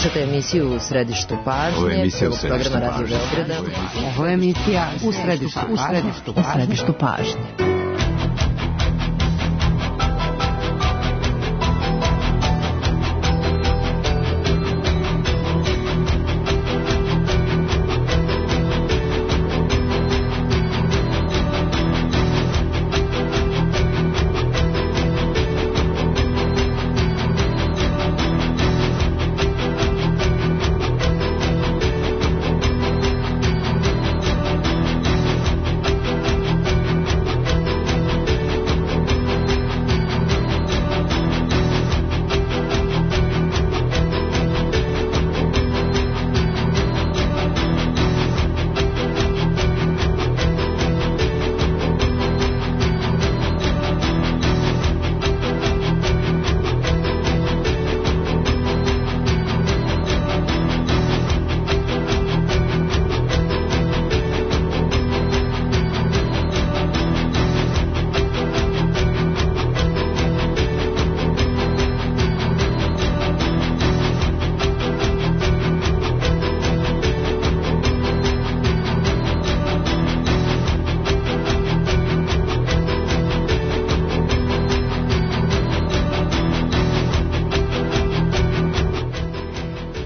Slušate emisiju U središtu pažnje. Ovo je emisija U središtu pažnje. Ovo je emisija U središtu pažnje.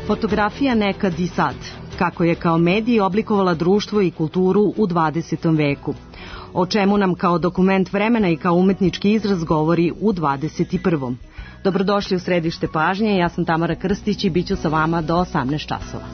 Fotografija nekad i sad, kako je kao medij oblikovala društvo i kulturu u 20. veku. O čemu nam kao dokument vremena i kao umetnički izraz govori u 21. Dobrodošli u središte pažnje, ja sam Tamara Krstić i bit ću sa vama do 18 časova.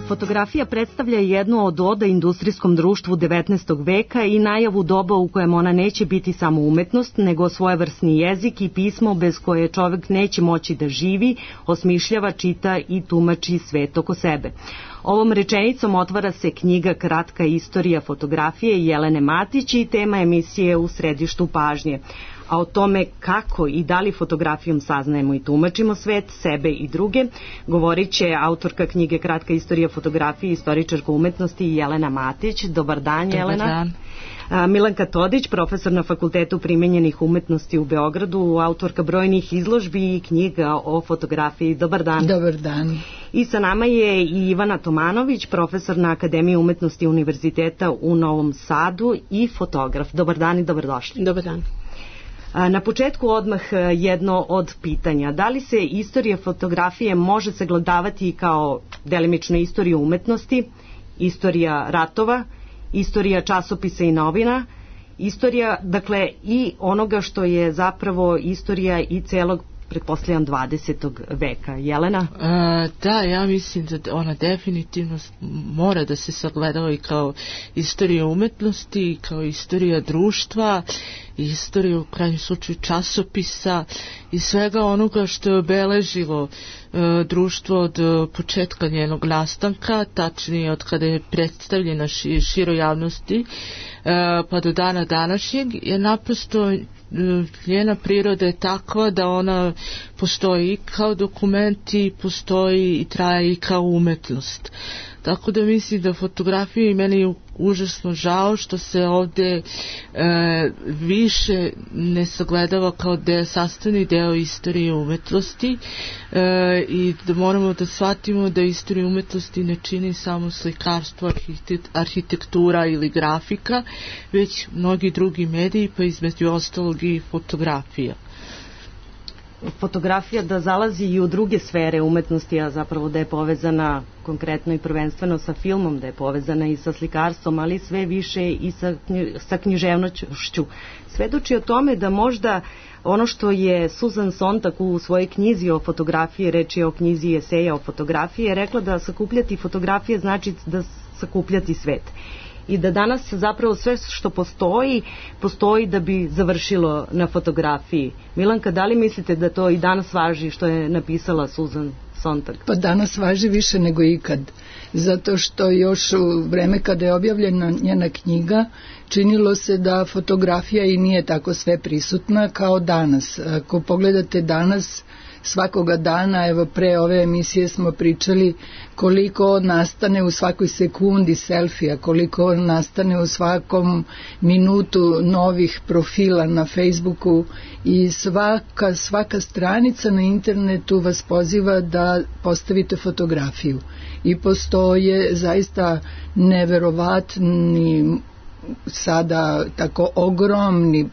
Fotografija predstavlja jednu od oda industrijskom društvu 19. veka i najavu doba u kojem ona neće biti samo umetnost, nego svojevrsni jezik i pismo bez koje čovjek neće moći da živi, osmišljava, čita i tumači svet oko sebe. Ovom rečenicom otvara se knjiga Kratka istorija fotografije Jelene Matić i tema emisije U središtu pažnje. A o tome kako i da li fotografijom saznajemo i tumačimo svet, sebe i druge, govorit će autorka knjige Kratka istorija fotografije i istoričarka umetnosti Jelena Matić. Dobar dan, Jelena. Dobar dan. Milanka Todić, profesor na Fakultetu primenjenih umetnosti u Beogradu, autorka brojnih izložbi i knjiga o fotografiji. Dobar dan. Dobar dan. I sa nama je i Ivana Tomanović, profesor na Akademiji umetnosti Univerziteta u Novom Sadu i fotograf. Dobar dan i dobrodošli. Dobar dan. Na početku odmah jedno od pitanja. Da li se istorija fotografije može sagledavati kao delimično istorija umetnosti, istorija ratova, istorija časopisa i novina, istorija, dakle, i onoga što je zapravo istorija i celog, pretpostavljam, 20. veka. Jelena? Da, ja mislim da ona definitivno mora da se sagledava i kao istorija umetnosti, kao istorija društva, istorija u krajnjem slučaju časopisa i svega onoga što je obeležilo društvo od početka njenog nastanka, tačnije od kada je predstavljena široj javnosti pa do dana današnjeg, je naprosto njena priroda je takva da ona postoji i kao dokument i postoji i traje i kao umetnost. Tako da mislim da fotografija, i meni je užasno žao što se ovdje više ne sagledava kao sastavni deo istorije umetnosti i da moramo da shvatimo da istoriju umetnosti ne čini samo slikarstvo, arhitektura ili grafika, već mnogi drugi mediji, pa između ostalog i fotografija. Fotografija da zalazi i u druge sfere umetnosti, a zapravo da je povezana konkretno i prvenstveno sa filmom, da je povezana i sa slikarstvom, ali sve više i sa književnošću. Svedoči o tome da možda ono što je Susan Sontag u svojoj knjizi o fotografiji, reč je o knjizi eseja o fotografiji, je rekla da sakupljati fotografije znači da sakupljati svet. I da danas zapravo sve što postoji da bi završilo na fotografiji. Milanka, da li mislite da to i danas važi što je napisala Susan Sontag? Pa danas važi više nego ikad, zato što još u vreme kada je objavljena njena knjiga činilo se da fotografija i nije tako sve prisutna kao danas. Ako pogledate danas, svakoga dana, evo pre ove emisije smo pričali koliko nastane u svakoj sekundi selfija, koliko nastane u svakom minutu novih profila na Facebooku i svaka stranica na internetu vas poziva da postavite fotografiju. I postoje zaista neverovatni sada tako ogromni,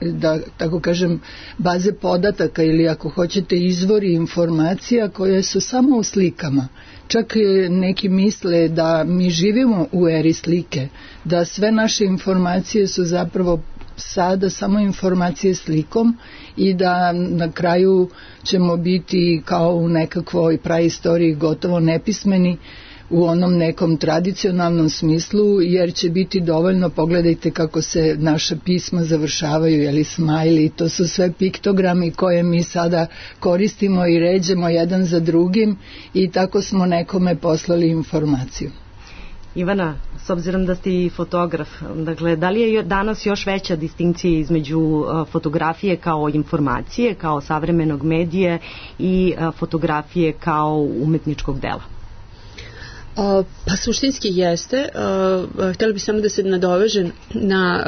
da tako kažem, baze podataka ili ako hoćete izvori informacija koje su samo u slikama. Čak neki misle da mi živimo u eri slike, da sve naše informacije su zapravo sada samo informacije slikom i da na kraju ćemo biti kao u nekakvoj praistoriji gotovo nepismeni u onom nekom tradicionalnom smislu, jer će biti dovoljno, pogledajte kako se naša pisma završavaju, jeli smajli, to su sve piktogrami koje mi sada koristimo i ređemo jedan za drugim i tako smo nekome poslali informaciju. Ivana, s obzirom da ste i fotograf, dakle, da li je danas još veća distinkcija između fotografije kao informacije, kao savremenog medija i fotografije kao umetničkog dela? Pa suštinski jeste. Htjela bih samo da se nadovežem na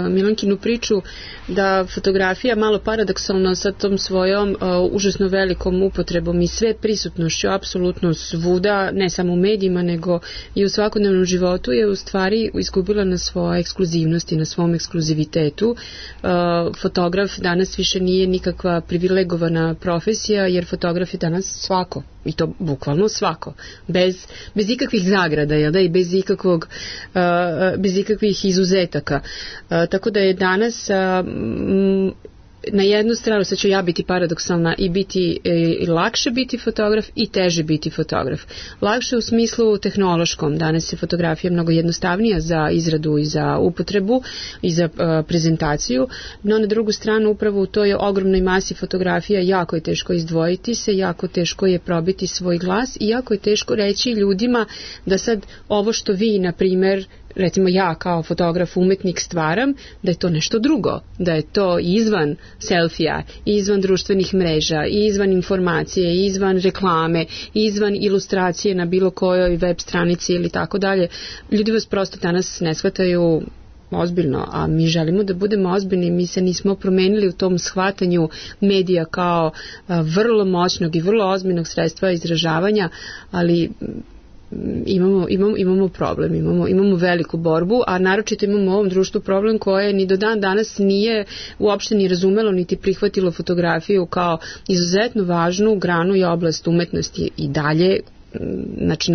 Milankinu priču da fotografija malo paradoksalno sa tom svojom užasno velikom upotrebom i sve prisutnošću apsolutno svuda, ne samo u medijima nego i u svakodnevnom životu je u stvari izgubila na svojoj ekskluzivnosti, na svom ekskluzivitetu. Fotograf danas više nije nikakva privilegovana profesija, jer fotograf je danas svako. I to bukvalno svako, bez ikakvih zagrada, jel da, i bez ikakvih izuzetaka. Tako da je danas na jednu stranu, sad ću ja biti paradoksalna, i lakše biti fotograf i teže biti fotograf. Lakše u smislu tehnološkom, danas je fotografija mnogo jednostavnija za izradu i za upotrebu i za prezentaciju, no na drugu stranu upravo u toj ogromnoj masi fotografija jako je teško izdvojiti se, jako teško je probiti svoj glas i jako je teško reći ljudima da sad ovo što vi, na primer, recimo ja kao fotograf, umetnik stvaram, da je to nešto drugo, da je to izvan selfija, izvan društvenih mreža, izvan informacije, izvan reklame, izvan ilustracije na bilo kojoj web stranici ili tako dalje. Ljudi vas prosto danas ne shvataju ozbiljno, a mi želimo da budemo ozbiljni. Mi se nismo promenili u tom shvatanju medija kao vrlo moćnog i vrlo ozbiljnog sredstva izražavanja, ali imamo problem, imamo veliku borbu, a naročito imamo u ovom društvu problem koje ni do dan danas nije uopšte ni razumelo niti prihvatilo fotografiju kao izuzetno važnu granu i oblast umetnosti i dalje. Znači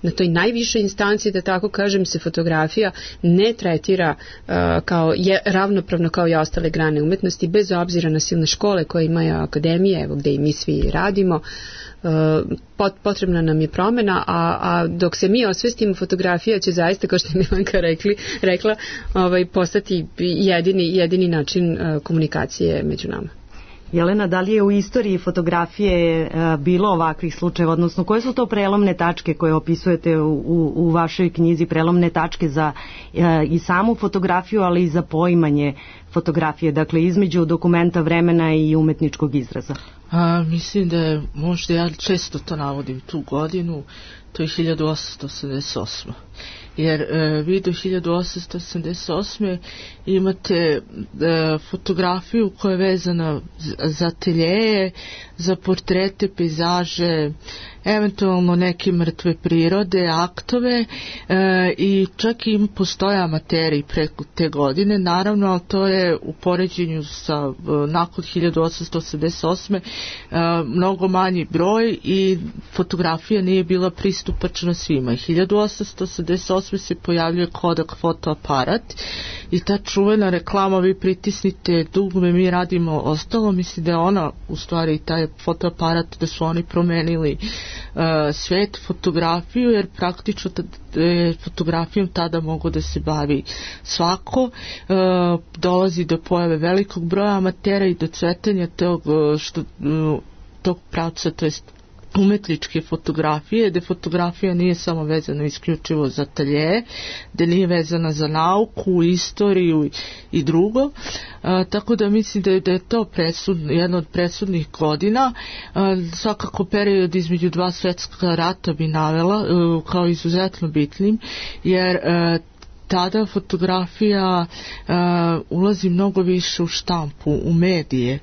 na toj najvišoj instanci, da tako kažem, se fotografija ne tretira kao ravnopravno kao i ostale grane umetnosti, bez obzira na silne škole koje imaju akademije, evo gde i mi svi radimo. Potrebna nam je promjena, a dok se mi osvestimo, fotografija će zaista, kao što je Milanka rekla, postati jedini način komunikacije među nama. Jelena, da li je u istoriji fotografije bilo ovakvih slučajeva, odnosno koje su to prelomne tačke koje opisujete u vašoj knjizi, prelomne tačke za i samu fotografiju, ali i za poimanje fotografije, dakle između dokumenta vremena i umetničkog izraza? Mislim da je, možda ja često to navodim, tu godinu, to je 1888. Jer vi do 1888. imate fotografiju koja je vezana za ateljeje, za portrete, pejzaže, eventualno neke mrtve prirode, aktove, i čak i postoje amateri preko te godine, naravno, ali to je u poređenju sa nakon 1888. Mnogo manji broj i fotografija nije bila pristupačna svima. 1888. se pojavljuje Kodak fotoaparat i ta čuvena reklama, vi pritisnite dugme, mi radimo ostalo, mislim da je ona u stvari taj fotoaparat, da su oni promenili svet, fotografiju, jer praktično fotografijom tada mogu da se bavi svako. Dolazi do pojave velikog broja amatera i do cvetanja tog pravca, to jest umetničke fotografije, gde fotografija nije samo vezana isključivo za atelje, gde nije vezana za nauku, istoriju i drugo. Tako da mislim da je to jedna od presudnih godina. Svakako period između dva svetska rata bi navela kao izuzetno bitnim, jer tada fotografija ulazi mnogo više u štampu, u medije.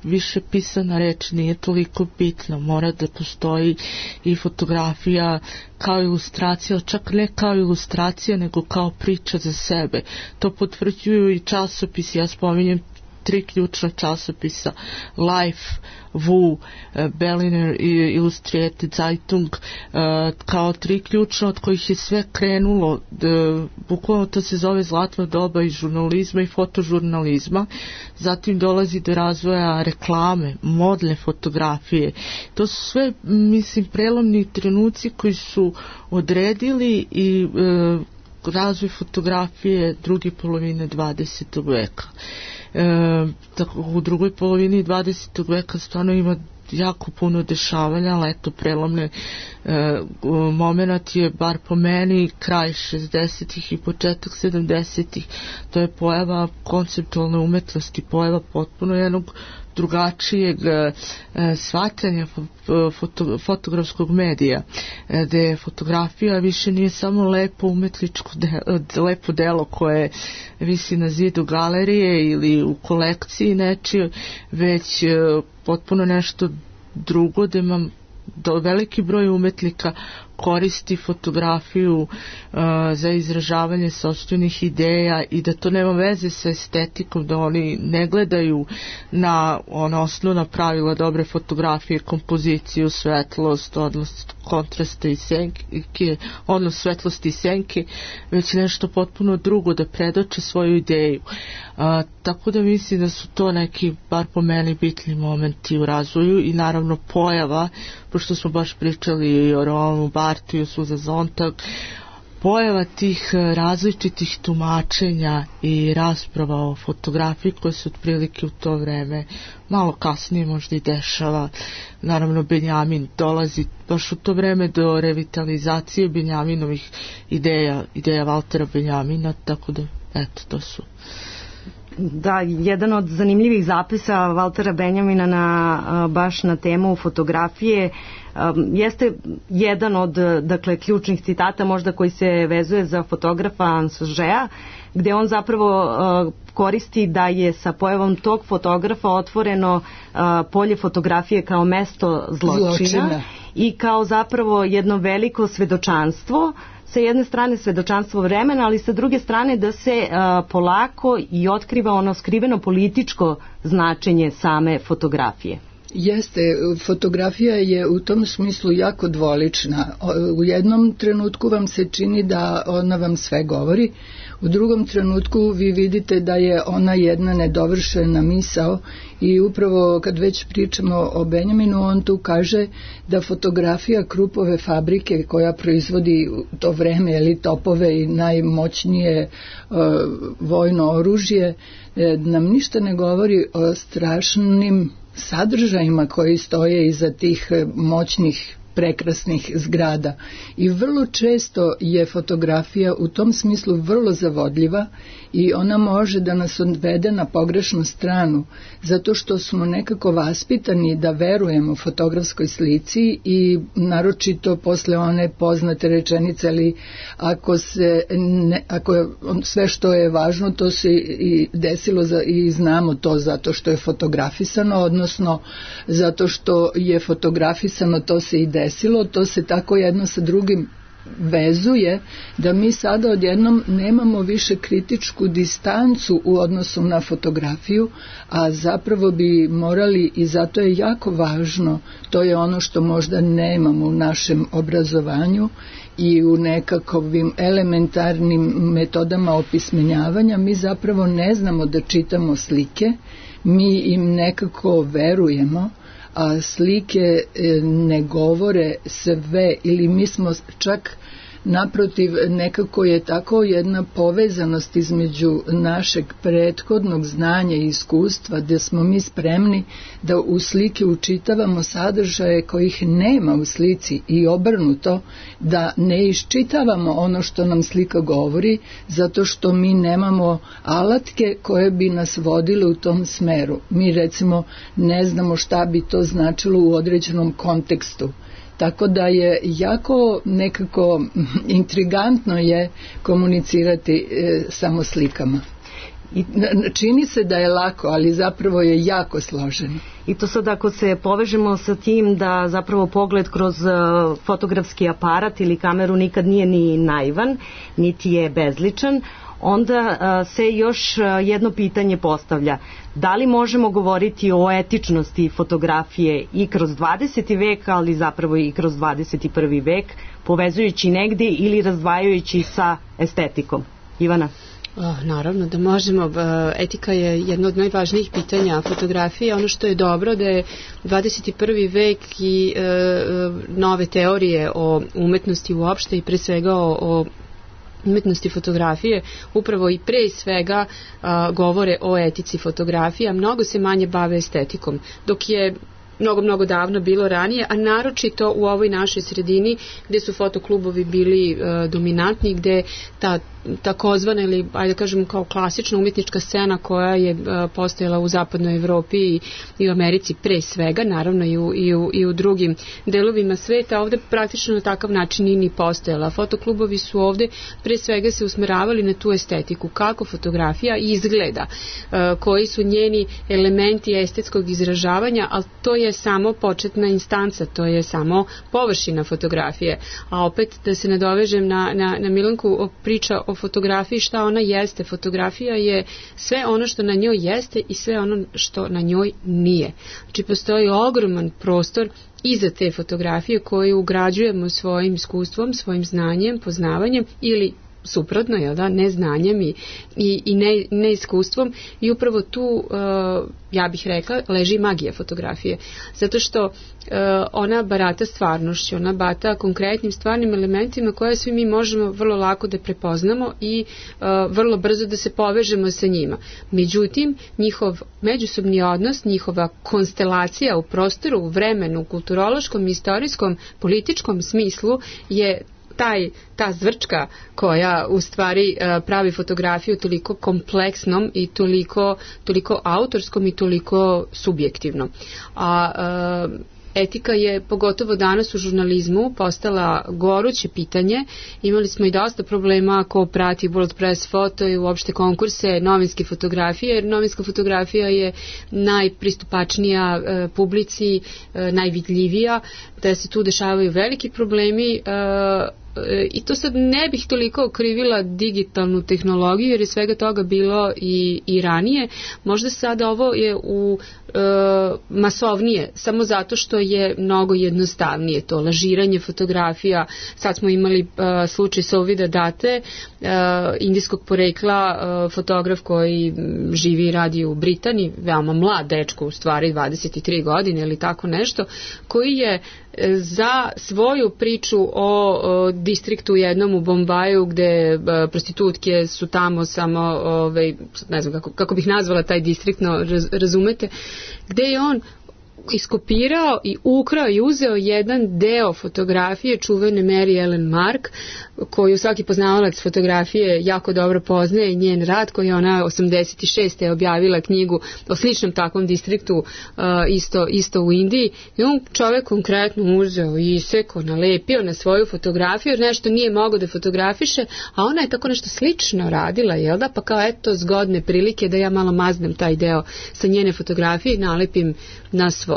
Više pisana reč nije toliko bitna. Mora da postoji i fotografija kao ilustracija, čak ne kao ilustracija, nego kao priča za sebe. To potvrđuju i časopisi, ja spominjem 3 ključna časopisa: Life, Wu, Berliner i Illustrierte Zeitung, kao 3 ključna od kojih je sve krenulo. Bukvalno to se zove zlatno doba i žurnalizma i fotožurnalizma. Zatim dolazi do razvoja reklame, modne fotografije. To su sve, mislim, prelomni trenuci koji su odredili i razvoj fotografije druge polovine 20. veka. U drugoj polovini 20. veka stvarno ima jako puno dešavanja, ali eto, prelomne moment je, bar po meni, kraj 60-ih i početak 70-ih. To je pojava konceptualne umetnosti, pojava potpuno jednog drugačijeg shvatanja fotografskog medija, gde fotografija više nije samo lepo umetničko lepo delo koje visi na zidu galerije ili u kolekciji nečije, već potpuno nešto drugo, gde imam veliki broj umetnika koristi fotografiju za izražavanje sopstvenih ideja i da to nema veze sa estetikom, da oni ne gledaju na osnovna pravila dobre fotografije, kompoziciju, svetlost, odnos kontrasta i senke, odnos svetlosti i senke, već nešto potpuno drugo, da predoče svoju ideju. Tako da mislim da su to neki, bar po meni, bitni momenti u razvoju i naravno pojava, pošto smo baš pričali i o Rolandu Bartheu, Susan Sontag, pojava tih različitih tumačenja i rasprava o fotografiji koje se otprilike u to vreme malo kasnije možda i dešava. Naravno, Benjamin dolazi baš u to vreme do revitalizacije Benjaminovih ideja Valtera Benjamina, tako da eto, to su. Da, jedan od zanimljivih zapisa Valtera Benjamina baš na temu fotografije jeste jedan od, dakle, ključnih citata možda koji se vezuje za fotografa Ansogea, gde on zapravo koristi da je sa pojavom tog fotografa otvoreno polje fotografije kao mesto zločina i kao zapravo jedno veliko svedočanstvo, sa jedne strane svedočanstvo vremena, ali sa druge strane da se polako i otkriva ono skriveno političko značenje same fotografije. Jeste, fotografija je u tom smislu jako dvolična. U jednom trenutku vam se čini da ona vam sve govori, u drugom trenutku vi vidite da je ona jedna nedovršena misao i upravo kad već pričamo o Benjaminu, on tu kaže da fotografija Krupove fabrike koja proizvodi u to vreme topove i najmoćnije vojno oružje nam ništa ne govori o strašnim sadržajima koji stoje iza tih moćnih prekrasnih zgrada i vrlo često je fotografija u tom smislu vrlo zavodljiva i ona može da nas odvede na pogrešnu stranu zato što smo nekako vaspitani da verujemo fotografskoj slici i naročito posle one poznate rečenice, ali ako sve što je važno to se i desilo i znamo to zato što je fotografisano, odnosno zato što je fotografisano to se i desilo, to se tako jedno sa drugim vezuje da mi sada odjednom nemamo više kritičku distancu u odnosu na fotografiju, a zapravo bi morali, i zato je jako važno, to je ono što možda nemamo u našem obrazovanju i u nekakvim elementarnim metodama opismenjavanja, mi zapravo ne znamo da čitamo slike, mi im nekako verujemo, a slike ne govore sve ili mi smo čak naprotiv, nekako je tako jedna povezanost između našeg prethodnog znanja i iskustva, da smo mi spremni da u slike učitavamo sadržaje kojih nema u slici i obrnuto, da ne iščitavamo ono što nam slika govori, zato što mi nemamo alatke koje bi nas vodile u tom smeru. Mi recimo ne znamo šta bi to značilo u određenom kontekstu. Tako da je jako nekako intrigantno je komunicirati samo slikama. I čini se da je lako, ali zapravo je jako složeno. I to sad ako se povežemo sa tim da zapravo pogled kroz fotografski aparat ili kameru nikad nije ni naivan, niti je bezličan, onda se još jedno pitanje postavlja. Da li možemo govoriti o etičnosti fotografije i kroz 20. vek, ali zapravo i kroz 21. vek, povezujući negdje ili razdvajajući sa estetikom? Ivana? Naravno da možemo. Etika je jedno od najvažnijih pitanja fotografije. Ono što je dobro da je 21. vek i nove teorije o umetnosti uopšte i pre svega o umetnosti fotografije upravo i pre svega govore o etici fotografije, a mnogo se manje bave estetikom, dok je mnogo davno bilo ranije, a naročito u ovoj našoj sredini gdje su fotoklubovi bili dominantni, gdje ta takozvana ili ajde kažem kao klasična umjetnička scena koja je postojala u zapadnoj Evropi i u Americi pre svega, naravno i u drugim delovima sveta, ovdje praktično na takav način ni postojala. Fotoklubovi su ovdje pre svega se usmeravali na tu estetiku, kako fotografija izgleda, koji su njeni elementi estetskog izražavanja, ali to je samo početna instanca, to je samo površina fotografije. A opet da se nadovežem na Milanku priča o fotografiji, šta ona jeste. Fotografija je sve ono što na njoj jeste i sve ono što na njoj nije. Znači postoji ogroman prostor iza te fotografije koju ugrađujemo svojim iskustvom, svojim znanjem, poznavanjem ili suprotno, jel da, neznanjem i neiskustvom, i upravo tu, ja bih rekla, leži magija fotografije. Zato što ona barata stvarnošću, ona barata konkretnim stvarnim elementima koje svi mi možemo vrlo lako da prepoznamo i vrlo brzo da se povežemo sa njima. Međutim, njihov međusobni odnos, njihova konstelacija u prostoru, u vremenu, kulturološkom, istorijskom, političkom smislu je ta zvrčka koja u stvari pravi fotografiju toliko kompleksnom i toliko autorskom i toliko subjektivnom. A etika je pogotovo danas u žurnalizmu postala goruće pitanje. Imali smo i dosta problema ko prati World Press Photo i uopšte konkurse novinske fotografije, jer novinska fotografija je najpristupačnija publici, najvidljivija, da se tu dešavaju veliki problemi. I to sad ne bih toliko okrivila digitalnu tehnologiju, jer je svega toga bilo i ranije. Možda sada ovo je masovnije, samo zato što je mnogo jednostavnije to lažiranje fotografija. Sad smo imali slučaj Sovida Date, indijskog porekla, fotograf koji živi i radi u Britaniji, veoma mlad dečko, u stvari 23 godine ili tako nešto, koji je za svoju priču o distriktu jednom u Bombaju gde prostitutke su tamo samo, ne znam kako bih nazvala taj distrikt, no razumete, gde je on iskopirao i ukrao i uzeo jedan deo fotografije čuvene Mary Ellen Mark, koju svaki poznavalac fotografije jako dobro poznaje, njen rad, koji je ona 86. je objavila knjigu o sličnom takvom distriktu isto u Indiji, i on čovjek konkretno uzeo i isekao, nalepio na svoju fotografiju, jer nešto nije mogao da fotografiše, a ona je tako nešto slično radila, jel da, pa kao eto zgodne prilike da ja malo maznem taj deo sa njene fotografije i nalepim na svoju.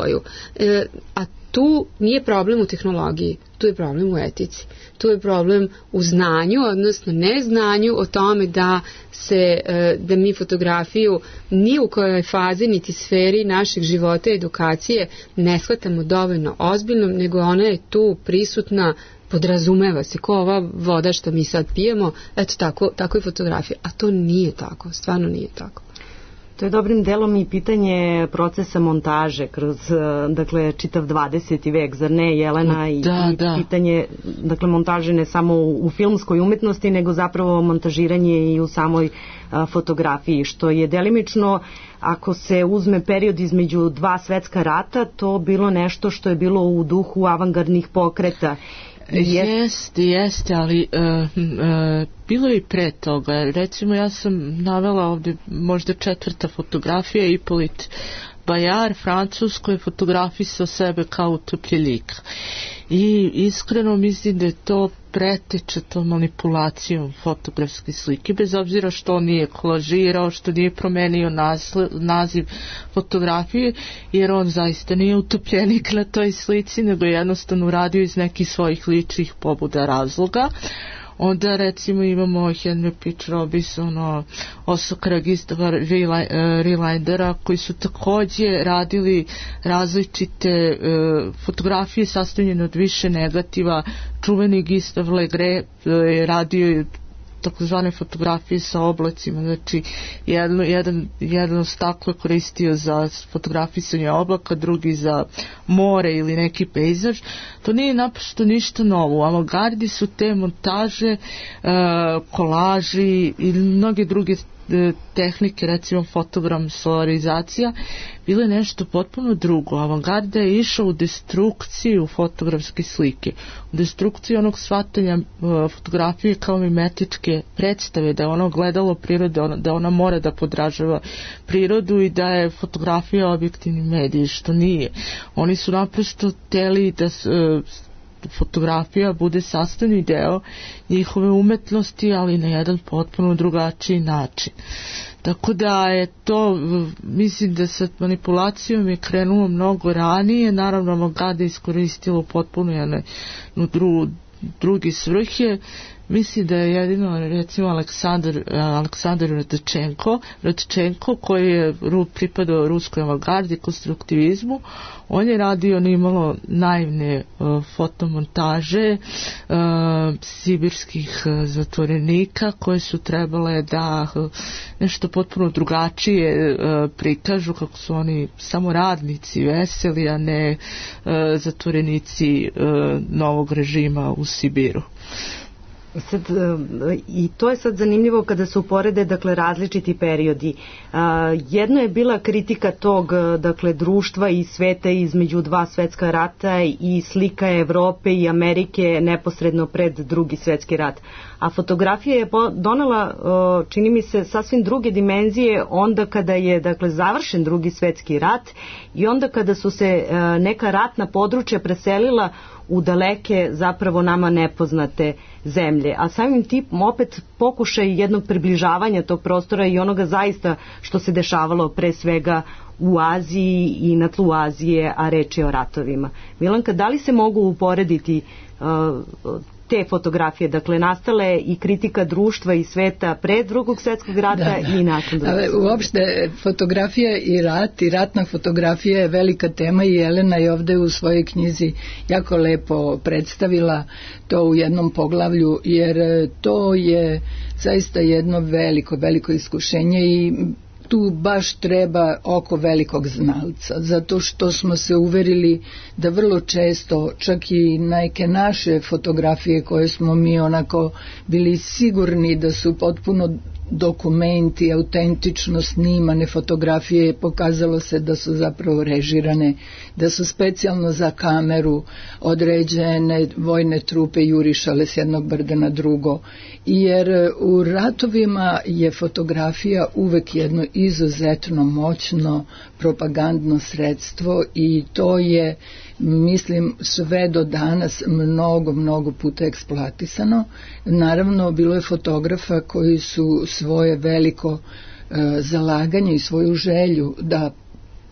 A tu nije problem u tehnologiji, tu je problem u etici, tu je problem u znanju, odnosno neznanju o tome da mi fotografiju ni u kojoj fazi niti sferi našeg života i edukacije ne shvatamo dovoljno ozbiljno, nego ona je tu prisutna, podrazumeva se, ko ova voda što mi sad pijemo, eto tako je fotografija, a to nije tako, stvarno nije tako. To je dobrim delom i pitanje procesa montaže kroz, dakle, čitav 20. vek, zar ne, Jelena? I pitanje, dakle, montaže ne samo u filmskoj umetnosti, nego zapravo montažiranje i u samoj fotografiji, što je delimično, ako se uzme period između dva svetska rata, to bilo nešto što je bilo u duhu avangardnih pokreta. Jeste, ali bilo je i pre toga. Recimo, ja sam navela ovdje možda 4. fotografija, Hippolyte Bayard, Francuz, koji je fotografisao sebe kao utopljenika. I iskreno mislim da je to preteče to manipulacijom fotografske slike, bez obzira što on nije kolažirao, što nije promenio naziv fotografije, jer on zaista nije utopljenik na toj slici, nego je jednostavno uradio iz nekih svojih ličnih pobuda razloga. Onda recimo imamo Henry Pitch Robinson, Osakara, Gustava Relindera, koji su također radili različite fotografije sastavljene od više negativa. Čuveni Gustave Legret je radio takozvane fotografije sa oblacima, znači jedno staklo je koristio za fotografisanje oblaka, drugi za more ili neki pejzaž. To nije naprosto ništa novo. U avangardi su te montaže, kolaži i mnoge druge tehnike, recimo fotogram, solarizacija, bile nešto potpuno drugo. Avangarda je išao u destrukciju fotografske slike, u destrukciju onog shvatanja fotografije kao mimetičke predstave, da je ono gledalo prirode, da ona mora da podražava prirodu i da je fotografija objektivni medij, što nije. Oni su naprosto hteli da fotografija bude sastavni deo njihove umetnosti, ali na jedan potpuno drugačiji način. Tako da je to, mislim da sa manipulacijom je krenulo mnogo ranije, naravno avangada je iskoristilo potpuno jedne drugi svrhe. Mislim da je jedino recimo Aleksandar Radčenko koji je pripadao ruskoj avangardi, konstruktivizmu. On je radio nimalo naivne fotomontaže sibirskih zatvorenika koje su trebale da nešto potpuno drugačije prikažu, kako su oni samo radnici veseli, a ne zatvorenici novog režima u Sibiru. Sad, i to je sad zanimljivo kada se uporede, dakle, različiti periodi. Jedno je bila kritika tog, dakle, društva i sveta između dva svetska rata i slika Evrope i Amerike neposredno pred Drugi svetski rat. A fotografija je donela, čini mi se, sasvim druge dimenzije onda kada je, dakle, završen Drugi svetski rat i onda kada su se neka ratna područja preselila u daleke, zapravo nama nepoznate zemlje. A samim tim opet pokušaj jednog približavanja tog prostora i onoga zaista što se dešavalo pre svega u Aziji i na tlu Azije, a reč je o ratovima. Milanka, da li se mogu uporediti te fotografije, dakle, nastale i kritika društva i sveta pre Drugog svjetskog rata i nakon Drugog svjetskog rata? Uopšte, fotografija i rat i ratna fotografija je velika tema i Jelena je ovde u svojoj knjizi jako lepo predstavila to u jednom poglavlju, jer to je zaista jedno veliko iskušenje i tu baš treba oko velikog znalca, zato što smo se uverili da vrlo često čak i neke naše fotografije koje smo mi onako bili sigurni da su potpuno dokumenti, autentično snimane fotografije, pokazalo se da su zapravo režirane, da su specijalno za kameru određene vojne trupe jurišale s jednog brda na drugo. Jer u ratovima je fotografija uvek jedno izuzetno moćno propagandno sredstvo i to je, mislim, sve do danas mnogo puta eksploatisano. Naravno, bilo je fotografa koji su svoje veliko zalaganje i svoju želju da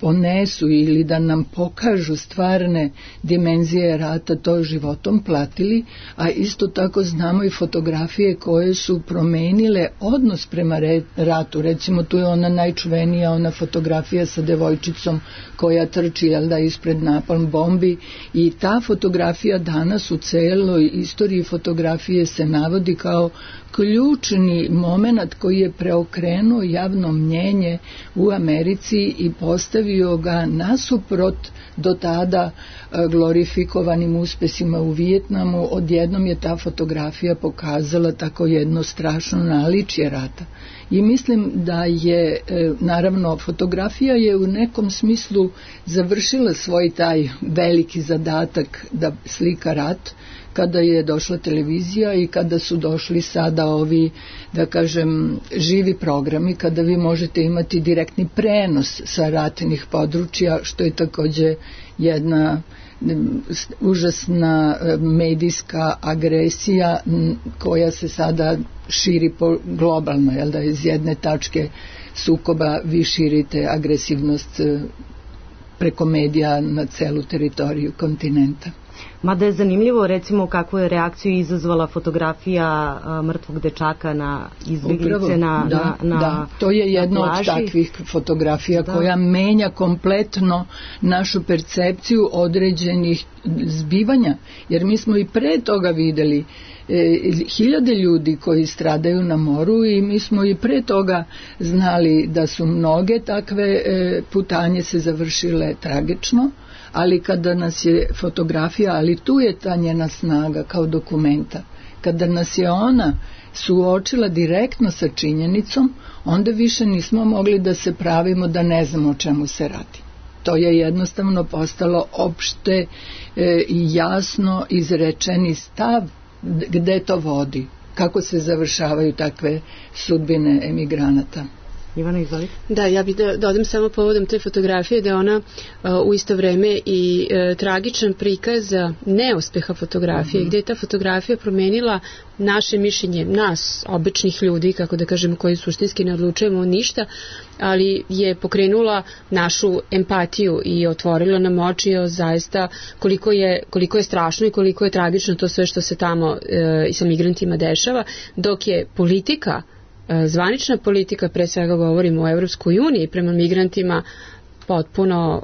ponesu ili da nam pokažu stvarne dimenzije rata, to životom platili, a isto tako znamo i fotografije koje su promenile odnos prema ratu. Recimo tu je ona najčuvenija, ona fotografija sa devojčicom koja trči ispred napalm bombi, i ta fotografija danas u celoj istoriji fotografije se navodi kao ključni moment koji je preokrenuo javno mnjenje u Americi i postavio ga nasuprot do tada glorifikovanim uspesima u Vijetnamu. Odjednom je ta fotografija pokazala tako jedno strašno naličje rata. I mislim da je, naravno, fotografija je u nekom smislu završila svoj taj veliki zadatak da slika rat, kada je došla televizija i kada su došli sada ovi, da kažem, živi programi, kada vi možete imati direktni prenos sa ratnih područja, što je takođe jedna užasna medijska agresija koja se sada širi globalno, iz jedne tačke sukoba vi širite agresivnost preko medija na celu teritoriju kontinenta. Mada je zanimljivo, recimo, kakvu je reakciju izazvala fotografija mrtvog dečaka na izbjeglice na to je jedna od takvih fotografija koja menja kompletno našu percepciju određenih zbivanja, jer mi smo i pre toga videli hiljade ljudi koji stradaju na moru i mi smo i pre toga znali da su mnoge takve putanje se završile tragično, ali kada nas je fotografija, ali tu je ta njena snaga kao dokumenta, kada nas je ona suočila direktno sa činjenicom, onda više nismo mogli da se pravimo da ne znamo o čemu se radi. To je jednostavno postalo opšte i jasno izrečeni stav gde to vodi, kako se završavaju takve sudbine emigranata. Ivana, izvoli. Da, ja bih da dodam samo povodom te fotografije da je ona u isto vreme i tragičan prikaz neuspeha fotografije, gdje je ta fotografija promenila naše mišljenje, nas, običnih ljudi, kako da kažem, koji suštinski ne odlučujemo ništa, ali je pokrenula našu empatiju i otvorila nam oči o zaista koliko je strašno i koliko je tragično to sve što se tamo i sa migrantima dešava, dok je politika, zvanična politika, pre svega govorimo o Evropskoj uniji, prema migrantima potpuno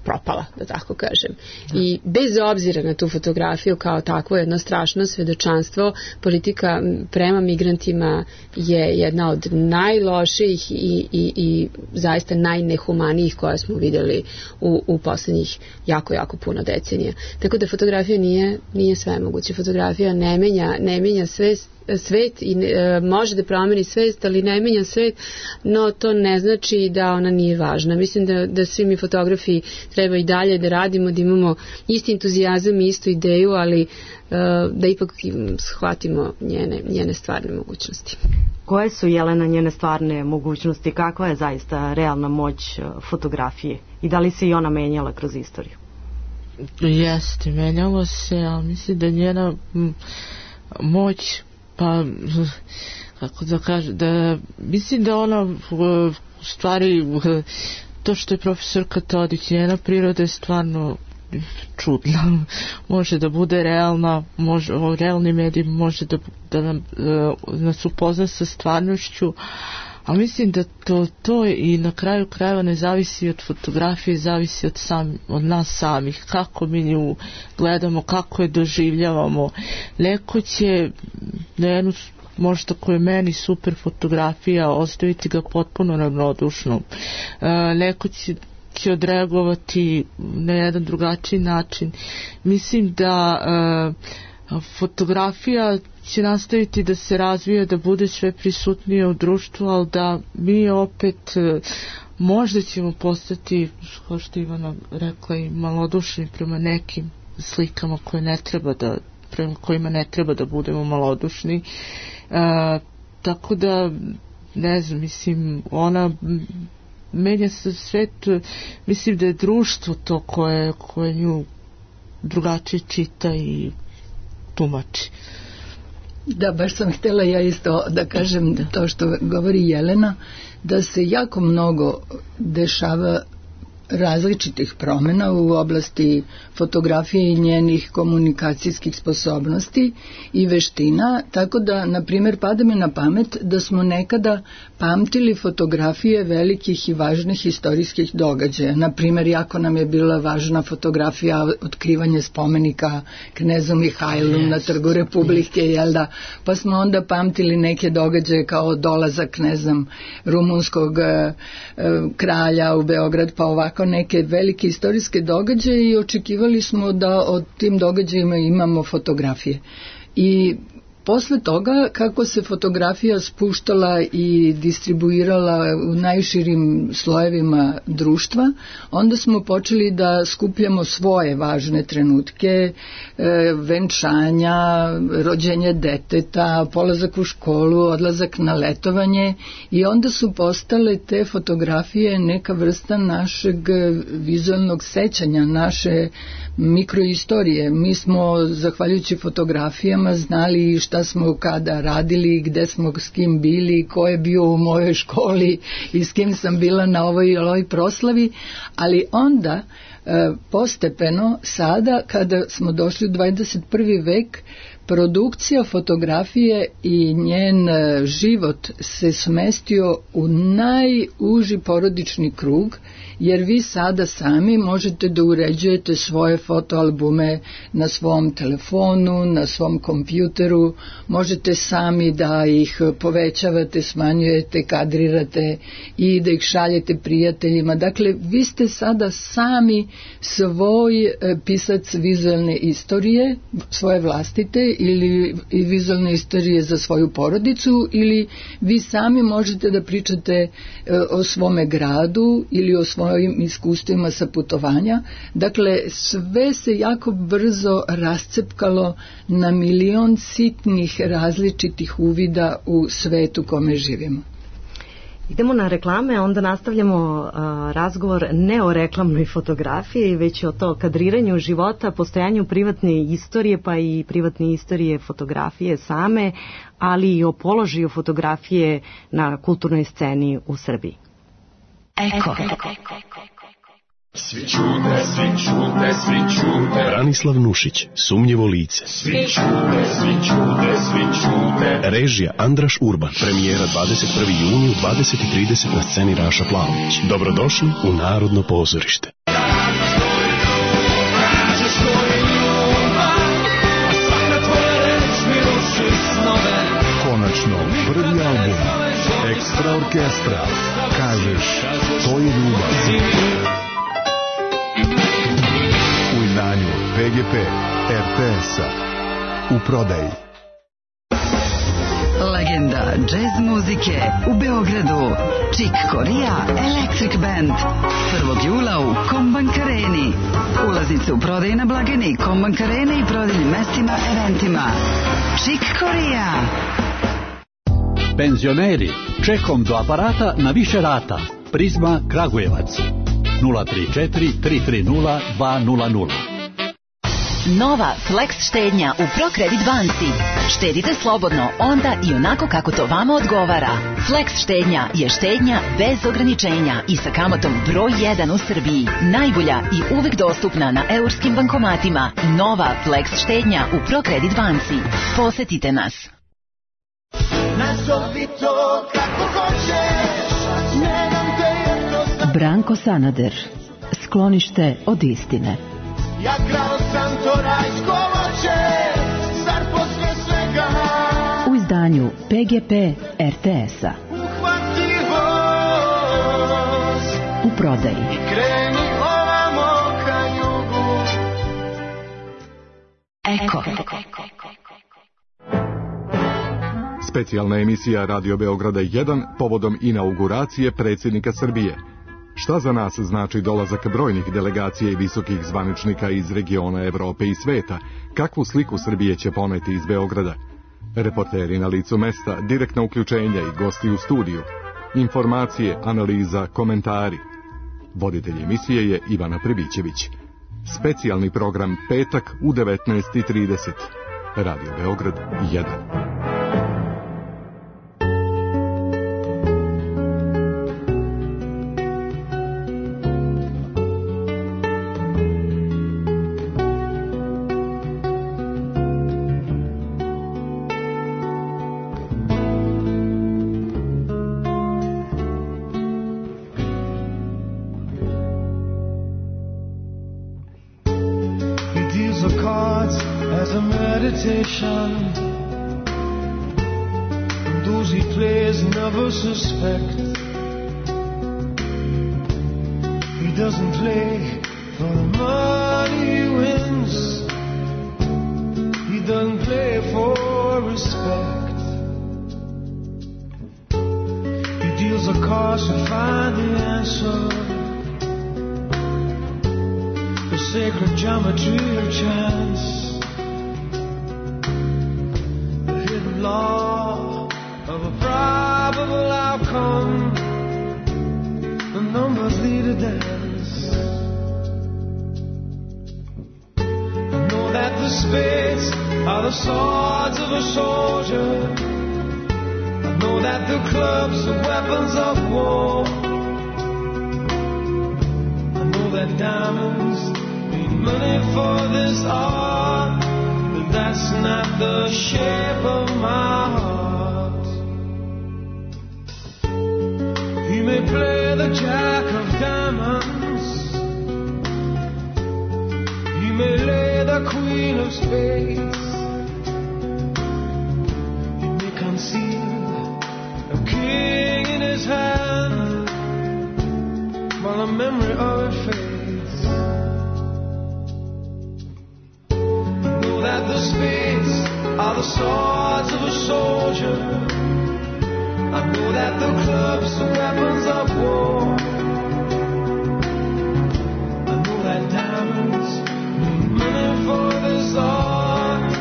propala, da tako kažem. I bez obzira na tu fotografiju kao takvo jedno strašno svedočanstvo, politika prema migrantima je jedna od najlošijih i zaista najnehumanijih koje smo vidjeli u poslednjih jako puno decenija. Tako da fotografija nije sve moguće. Fotografija ne menja svet i može da promeni svest, ali ne menja svet, no to ne znači da ona nije važna. Mislim da svi mi fotografi treba i dalje da radimo, da imamo isti entuzijazam i istu ideju, ali da ipak shvatimo njene stvarne mogućnosti. Koje su, Jelena, njene stvarne mogućnosti? Kakva je zaista realna moć fotografije? I da li se i ona menjala kroz istoriju? Jeste, menjalo se, ali mislim da njena moć, pa kako da kažem, da mislim da ona u stvari, to što je profesorka Todić, njena priroda je stvarno čudna, može da bude realna, realni medij može da nas upozna sa stvarnošću, a mislim da to i na kraju krajeva ne zavisi od fotografije, zavisi od nas samih, kako mi nju gledamo, kako je doživljavamo. Neko će na jednu, možda koja je meni super fotografija, ostaviti ga potpuno ravnodušno. Neko će odreagovati na jedan drugačiji način. Mislim da fotografija će nastaviti da se razvija, da bude sve prisutnije u društvu, ali da mi opet možda ćemo postati, kao što Ivana rekla, i malodušni prema nekim slikama prema kojima ne treba da budemo malodušni. Tako da, ne znam, mislim, ona menja se svet, mislim da je društvo to koje nju drugačije čita i tumači. Da, baš sam htjela ja isto da kažem to što govori Jelena, da se jako mnogo dešava različitih promjena u oblasti fotografije i njenih komunikacijskih sposobnosti i veština, tako da, na primjer, pada mi na pamet da smo nekada pamtili fotografije velikih i važnih istorijskih događaja. Na primjer, jako nam je bila važna fotografija otkrivanje spomenika knezu Mihajlu na Trgu Republike, jel da? Pa smo onda pamtili neke događaje kao dolazak, ne znam, rumunskog kralja u Beograd, pa ovako neke velike istorijske događaje i očekivali smo da od tim događajima imamo fotografije. I posle toga, kako se fotografija spuštala i distribuirala u najširim slojevima društva, onda smo počeli da skupljamo svoje važne trenutke, venčanja, rođenje deteta, polazak u školu, odlazak na letovanje, i onda su postale te fotografije neka vrsta našeg vizualnog sećanja, naše mikroistorije. Mi smo, zahvaljujući fotografijama, znali šta smo kada radili, gde smo s kim bili, ko je bio u mojoj školi i s kim sam bila na ovoj proslavi, ali onda postepeno, sada kada smo došli u 21. vek, produkcija fotografije i njen život se smestio u najuži porodični krug, jer vi sada sami možete da uređujete svoje fotoalbume na svom telefonu, na svom kompjuteru, možete sami da ih povećavate, smanjujete, kadrirate i da ih šaljete prijateljima. Dakle, vi ste sada sami svoj pisac vizualne istorije, svoje vlastite, ili vizualne istorije za svoju porodicu, ili vi sami možete da pričate o svome gradu ili o svojim iskustvima sa putovanja. Dakle, sve se jako brzo rascepkalo na milion sitnih različitih uvida u svetu kome živimo. Idemo na reklame, onda nastavljamo razgovor ne o reklamnoj fotografiji, već o to kadriranju života, postojanju privatne istorije, pa i privatne istorije fotografije same, ali i o položaju fotografije na kulturnoj sceni u Srbiji. Eko. Svi čute, svi čute, svi čute. Branislav Nušić, Sumnjivo lice. Svi čute, svi čute, svi čute. Režija Andraš Urban. Premijera 21. juni u 20:30 na sceni Raša Plavović. Dobrodošli u Narodno pozorište. Konačno, prvi album Ekstra orkestra. Kažeš, to je ljubav. U izdanju PGP RTS-a. U prodaji. Legenda džez muzike u Beogradu. Chick Corea Electric Band. 1. jula u Kombank Areni. Ulaznice u prodaji na blagajni Kombank Arene i prodajnim mestima, eventima. Chick Corea. Penzioneri, čekom do aparata na više rata. Prizma Kragujevac. 034 330 200. Nova Flex štednja u ProCredit banci. Štedite slobodno, onda i onako kako to vama odgovara. Flex štednja je štednja bez ograničenja i sa kamatom broj 1 u Srbiji. Najbolja i uvek dostupna na eurskim bankomatima. Nova Flex štednja u ProCredit banci. Posetite nas. Nazovi to kako hoćeš, ne dam te jednostavno. Branko Sanader, Sklonište od istine. Ja krao sam to rajsko voće, zar posle svega u izdanju PGP RTS-a. Uhvati voz u prodaji i kreni ovamo ka jugu. Eko. Specijalna emisija Radio Beograda 1 povodom inauguracije predsjednika Srbije. Šta za nas znači dolazak brojnih delegacija i visokih zvaničnika iz regiona Evrope i sveta? Kakvu sliku Srbije će poneti iz Beograda? Reporteri na licu mesta, direktna uključenja i gosti u studiju. Informacije, analiza, komentari. Voditelj emisije je Ivana Prebićević. Specijalni program petak u 19:30. Radio Beograd 1. deals the cards as a meditation, and those he plays never suspect. He doesn't play for the money he wins, he doesn't play for respect. He deals the cards to find the answer, the sacred geometry of chance, the hidden law of a probable outcome. The numbers lead a dance. I know that the spades are the swords of a soldier. I know that the clubs are weapons of war. I know that diamonds mean money for this art, but that's not the shape of my heart. He may play the jack of diamonds, he may lay the queen of spades, he may conceal a king in his hand while the memory of it fades. I know that the spades are the swords of a soldier, I know that the clubs are weapons of war. I know that diamonds mean money for this art,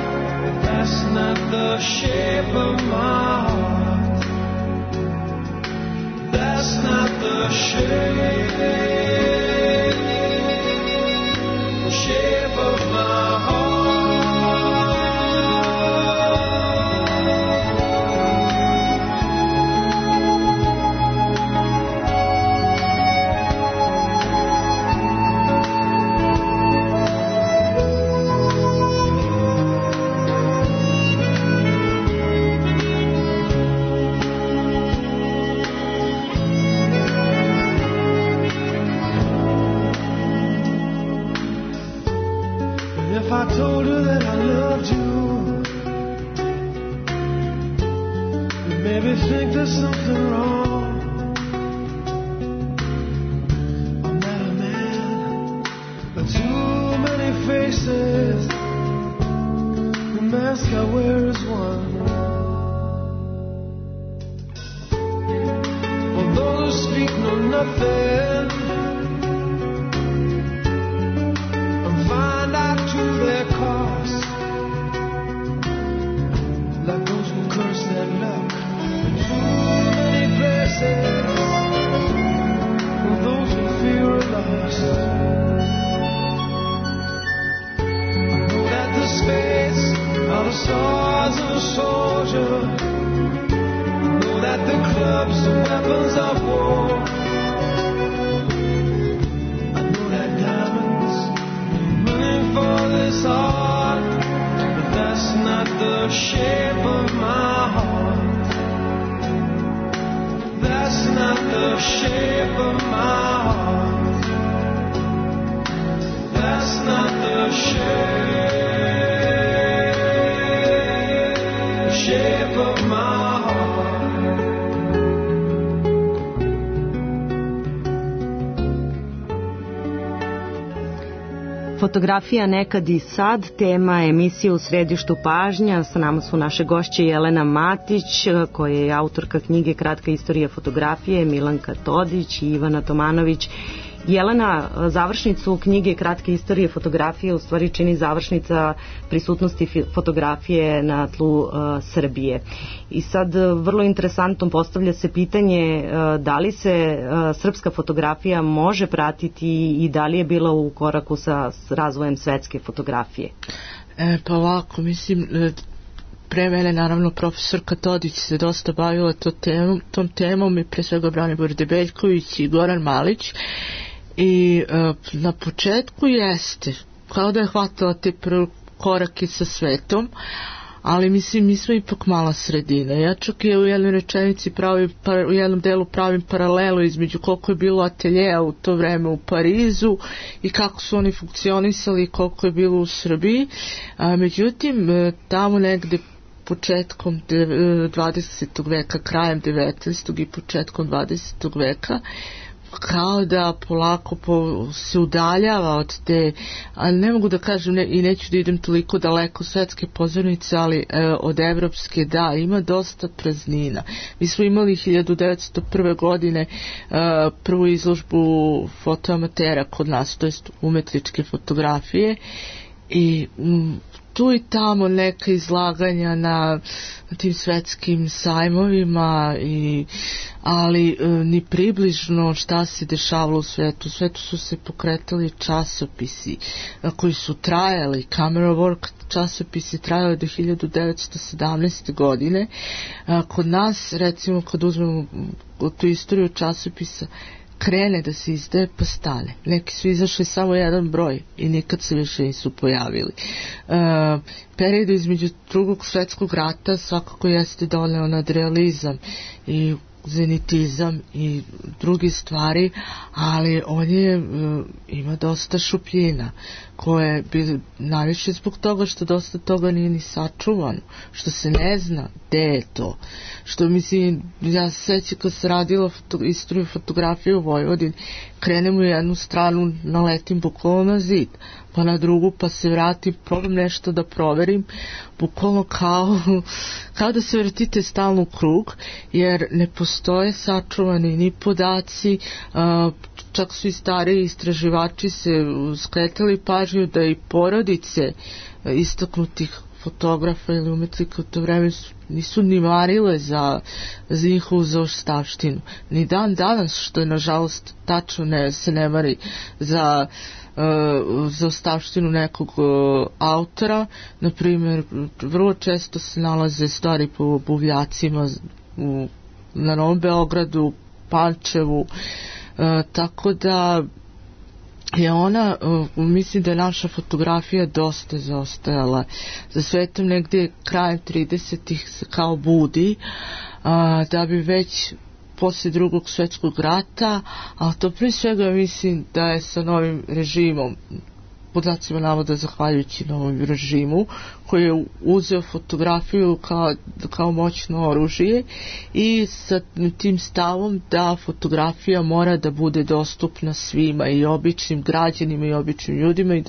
but that's not the shape of my heart. That's not the shape of my heart. If I told her that I loved you, you'd maybe think there's something wrong. I'm not a man with too many faces, the mask I wear is one. For those who speak know nothing and find out to their cost, like those who curse their luck in too many places, or those who fear are lost. I know that the spades are the swords of a soldier, I know that the clubs are weapons of war. I know that diamonds mean money for this art, but that's not the shape of my heart. That's not the shape of my heart. That's not the shape of my heart. Fotografija nekad i sad, tema emisije U središtu pažnja. Sa nama su naše gošće Jelena Matić, koja je autorka knjige Kratka istorija fotografije, Milanka Todić i Ivana Tomanović. Jelena, završnicu knjige Kratke istorije fotografije u stvari čini završnica prisutnosti fotografije na tlu Srbije. I sad vrlo interesantno postavlja se pitanje da li se srpska fotografija može pratiti i da li je bila u koraku sa razvojem svetske fotografije? Pa ovako, mislim, pre mene naravno profesorka Todić se dosta bavila tom temom i pre svega Branimir Debeljković i Goran Malić. I na početku jeste kao da je hvatala te prve korake sa svetom, ali mislim mi smo ipak mala sredina. Ja čak i u jednoj rečenici u jednom delu pravim paralelu između koliko je bilo ateljeja u to vreme u Parizu i kako su oni funkcionisali i koliko je bilo u Srbiji. Međutim, tamo negde početkom 20. veka, krajem 19. i početkom 20. veka, kao da polako se udaljava od te, ali ne mogu da kažem i neću da idem toliko daleko svetske pozornice, ali od evropske da, ima dosta praznina. Mi smo imali 1901. godine prvu izložbu fotoamatera kod nas, to jest umetničke fotografije, i tu i tamo neka izlaganja na tim svetskim sajmovima, ali ni približno šta se dešavalo u svetu. U svetu su se pokretali časopisi koji su trajali, Camera Work časopisi trajali do 1917. godine. Kod nas, recimo, kad uzmemo tu istoriju časopisa, krene da se izdaje pa stane. Neki su izašli samo jedan broj i nikad se više nisu pojavili. Period između drugog svetskog rata svakako jeste doneo nadrealizam i zenitizam i drugi stvari, ali on ima dosta šupljina koje bi najviše zbog toga što dosta toga nije ni sačuvano, što se ne zna gde je to, što mislim, ja se sećam kad se radila istoriju fotografije u Vojvodini, krenem u jednu stranu, naletim bukvalno na zid, pa na drugu, pa se vratim, probam nešto da proverim, bukvalno kao da se vrtite stalno u krug, jer ne postoje sačuvani ni podaci, čak su i stariji istraživači se skretali pažnju da i porodice istaknutih fotografa ili umetnika u to vreme nisu ni marile za njihovu zaostavštinu. Ni dan danas, što je nažalost tačno, se ne mari za ostavštinu nekog autora. Na primjer, vrlo često se nalaze stvari po buvljacima na Novom Beogradu, Pančevu, tako da je ona, mislim da je naša fotografija dosta zaostajala za svetom, negdje krajem 30-ih se kao budi, da bi već poslije drugog svjetskog rata, ali to prije svega mislim da je sa novim režimom, podacima navoda zahvaljujući novom režimu, koji je uzeo fotografiju kao moćno oružje i sa tim stavom da fotografija mora da bude dostupna svima, i običnim građanima i običnim ljudima, i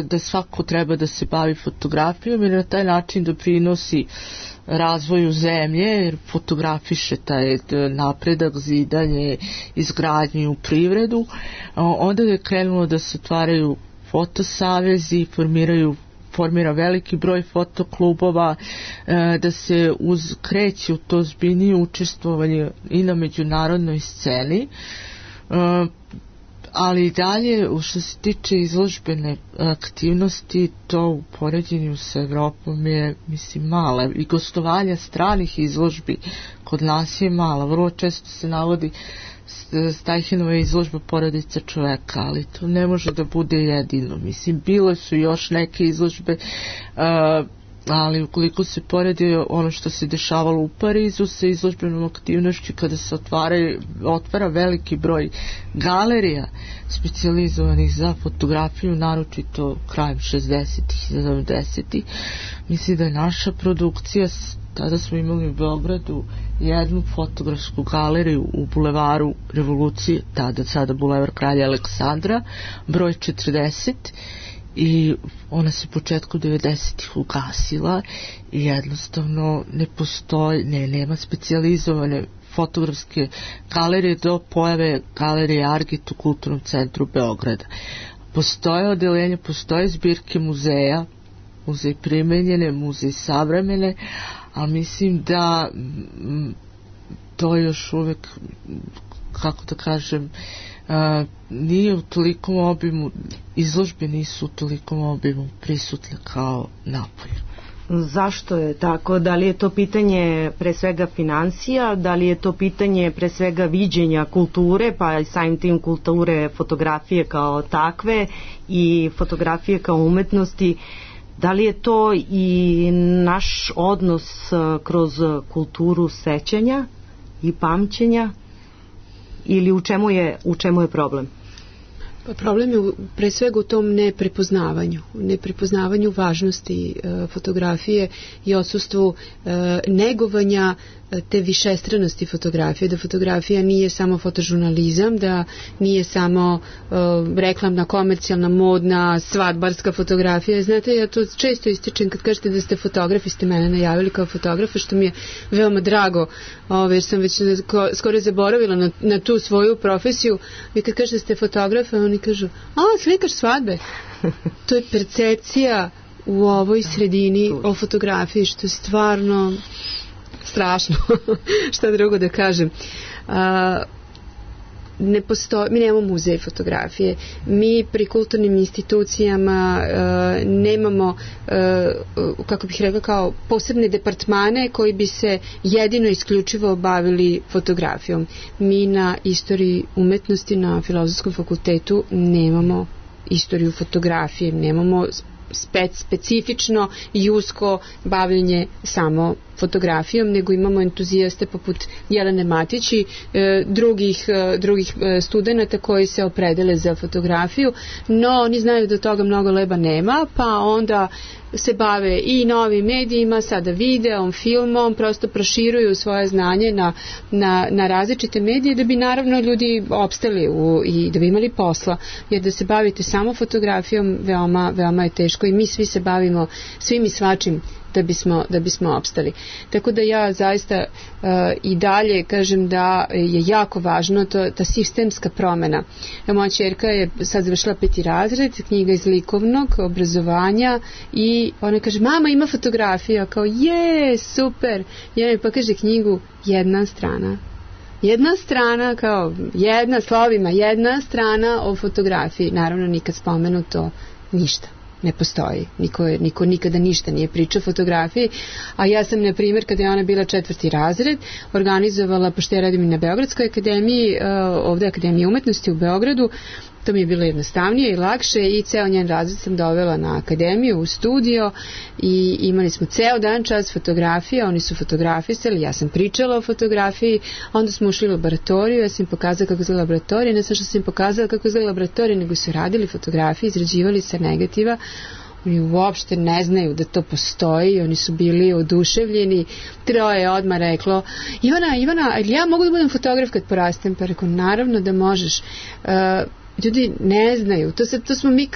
da svako treba da se bavi fotografijom i na taj način doprinosi razvoju zemlje, jer fotografiše taj napredak, zidanje, izgradnju, privredu. Onda je krenulo da se otvaraju fotosavezi, formira veliki broj fotoklubova, da se kreće u to ozbiljnije učestvovanje i na međunarodnoj sceni, ali i dalje, što se tiče izložbene aktivnosti, to u poređenju sa Evropom je, mislim, mala, i gostovanja stranih izložbi kod nas je mala. Vrlo često se navodi Stajhinova izložba Porodica čoveka, ali to ne može da bude jedino. Mislim, bile su još neke izložbe, ali ukoliko se poredi ono što se dešavalo u Parizu sa izložbenom aktivnošću, kada se otvara veliki broj galerija specijalizovanih za fotografiju, naročito krajem 60-ih i 70-ih, mislim da je naša produkcija, tada smo imali u Beogradu jednu fotografsku galeriju u bulevaru Revolucije, sada bulevar Kralja Aleksandra, broj 40, i ona se početkom 90-ih ugasila i jednostavno ne postoji, nema specijalizovane fotografske galerije do pojave galerije Argit u Kulturnom centru Beograda. Postoje odeljenje, postoje zbirke muzeja, muzej primenjene, muzej savremene, a mislim da to još uvek, kako da kažem, nije u tolikom obimu, izložbe nisu u tolikom obimu prisutne kao napolju. Zašto je tako? Da li je to pitanje pre svega financija, da li je to pitanje pre svega viđenja kulture, pa i samim tim kulture fotografije kao takve i fotografije kao umetnosti? Da li je to i naš odnos kroz kulturu sećanja i pamćenja ili u čemu je problem? Pa problem je pre svega u tom neprepoznavanju važnosti fotografije i odsustvu negovanja te višestranosti fotografije, da fotografija nije samo fotožurnalizam, da nije samo reklamna, komercijalna, modna, svadbarska fotografija. Znate, ja to često ističem kad kažete da ste fotografi, ste mene najavili kao fotografa, što mi je veoma drago, jer sam već skoro zaboravila na tu svoju profesiju. Vi kad kažete da ste fotografa, oni kažu, slikaš svadbe. To je percepcija u ovoj sredini o fotografiji, što je stvarno strašno. Šta drugo da kažem. Mi nemamo muzej fotografije, mi pri kulturnim institucijama nemamo, kako bih rekla, kao posebne departmane koji bi se jedino isključivo bavili fotografijom. Mi na istoriji umetnosti na Filozofskom fakultetu nemamo istoriju fotografije, nemamo specifično i usko bavljenje samo fotografijom, nego imamo entuzijaste poput Jelene Matić i drugih studenata koji se opredele za fotografiju, no oni znaju da toga mnogo leba nema, pa onda se bave i novim medijima, sada videom, filmom, prosto proširuju svoje znanje na različite medije da bi naravno ljudi opstali i da bi imali posla, jer da se bavite samo fotografijom veoma je teško i mi svi se bavimo svim i svačim da bismo opstali. Tako da ja zaista i dalje kažem da je jako važno ta sistemska promena. Moja ćerka je sad završila 5. razred, knjiga iz likovnog obrazovanja i ona kaže, mama ima fotografija, kao je, super. Ja mi pokaže knjigu, jedna strana, kao jedna slovima, jedna strana o fotografiji. Naravno nikad spomenuto ništa. Ne postoji. Niko nikada ništa nije pričao o fotografiji, a ja sam, na primjer, kada je ona bila 4. razred, organizovala, pošto ja radim i na Beogradskoj akademiji, ovdje Akademija umetnosti u Beogradu, to mi je bilo jednostavnije i lakše i ceo njen razred sam dovela na akademiju, u studio i imali smo ceo dan čas fotografije, oni su fotografisali, ja sam pričala o fotografiji, onda smo ušli u laboratoriju, ja sam im pokazala kako izgleda laboratorija, ne samo što sam im pokazala kako izgleda laboratorija, nego su radili fotografije, izrađivali sa negativa. Oni uopšte ne znaju da to postoji, oni su bili oduševljeni. 3 je odmah reklo, Ivana, ja mogu da budem fotograf kad porastem? Pa rekao, naravno da možeš. Ljudi ne znaju,